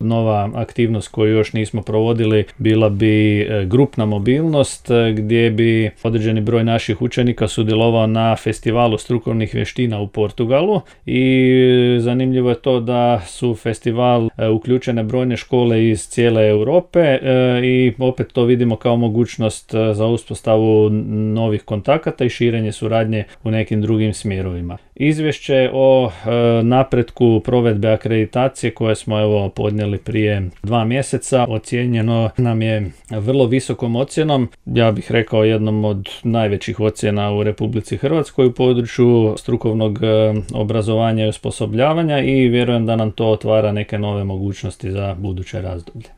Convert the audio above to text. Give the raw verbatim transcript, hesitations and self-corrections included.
Nova aktivnost koju još nismo provodili bila bi grupna mobilnost gdje bi određeni broj naših učenika sudjelovao na festivalu strukovnih vještina u Portugalu i zanimljivo je to da su u festival uključene brojne škole iz cijele Europe i opet to vidimo kao mogućnost za uspostavu novih kontakata i širenje suradnje u nekim drugim smjerovima. Izvješće o napretku provedbe akreditacije koje smo evo podnijeli prije dva mjeseca ocijenjeno nam je vrlo visokom ocjenom, ja bih rekao jednom od najvećih ocjena u Republici Hrvatskoj u području strukovnog obrazovanja i osposobljavanja i vjerujem da nam to otvara neke nove mogućnosti za buduće razdoblje.